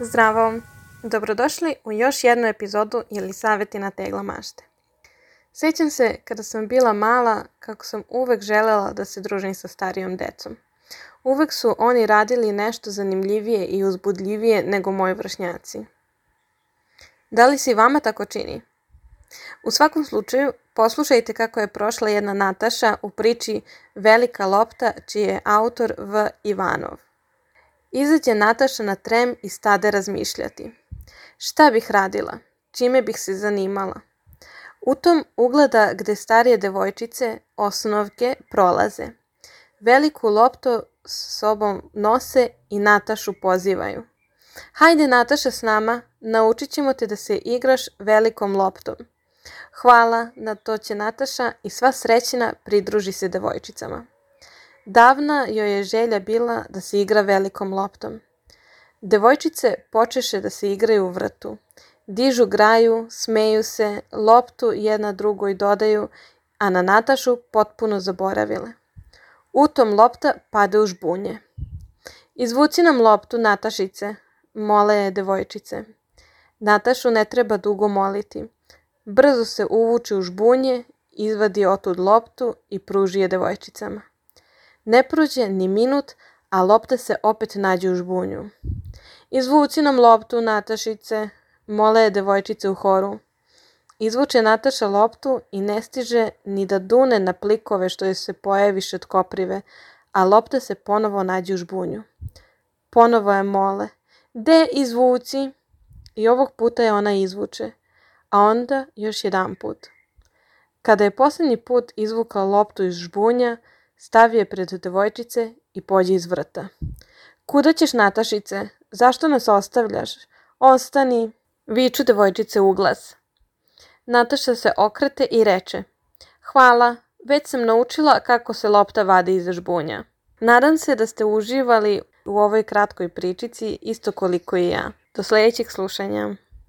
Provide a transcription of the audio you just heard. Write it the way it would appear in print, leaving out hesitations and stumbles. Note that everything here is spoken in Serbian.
Zdravo! Dobrodošli u još jednu epizodu Jelisavetina tegla mašte. Sjećam se kada sam bila mala kako sam uvek želela da se družim sa starijom decom. Uvek su oni radili nešto zanimljivije i uzbudljivije nego moji vršnjaci. Da li se i vama tako čini? U svakom slučaju, poslušajte kako je prošla jedna Nataša u priči Velika lopta, čiji je autor V. Ivanov. Izađe Nataša na trem i stade razmišljati. Šta bih radila? Čime bih se zanimala? U tom ugleda gde starije devojčice, osnovke, prolaze. Veliku loptu s sobom nose i Natašu pozivaju. Hajde Nataša s nama, naučit ćemo te da se igraš velikom loptom. Hvala, na to će Nataša i sva srećna pridruži se devojčicama. Davna joj je želja bila da se igra velikom loptom. Devojčice počeše da se igraju u vrtu. Dižu graju, smeju se, loptu jedna drugoj dodaju, a na Natašu potpuno zaboravile. U tom lopta pade u žbunje. Izvuci nam loptu, Natašice, mole je devojčice. Natašu ne treba dugo moliti. Brzo se uvuče u žbunje, izvadi otud loptu i pruži je devojčicama. Ne prođe ni minut, a lopta se opet nađe u žbunju. Izvuci nam loptu, Natašice, mole je devojčice u horu. Izvuče Nataša loptu i ne stiže ni da dune na plikove što joj se pojaviše od koprive, a lopta se ponovo nađe u žbunju. Ponovo je mole. De izvuci? I ovog puta je ona izvuče, a onda još jedan put. Kada je posljednji put izvukla loptu iz žbunja, stavi je pred devojčice i pođe iz vrta. Kuda ćeš, Natašice? Zašto nas ostavljaš? Ostani, viču devojčice u glas. Nataša se okrete i reče: Hvala, već sam naučila kako se lopta vadi iz žbunja. Nadam se da ste uživali u ovoj kratkoj pričici isto koliko i ja. Do sljedećeg slušanja.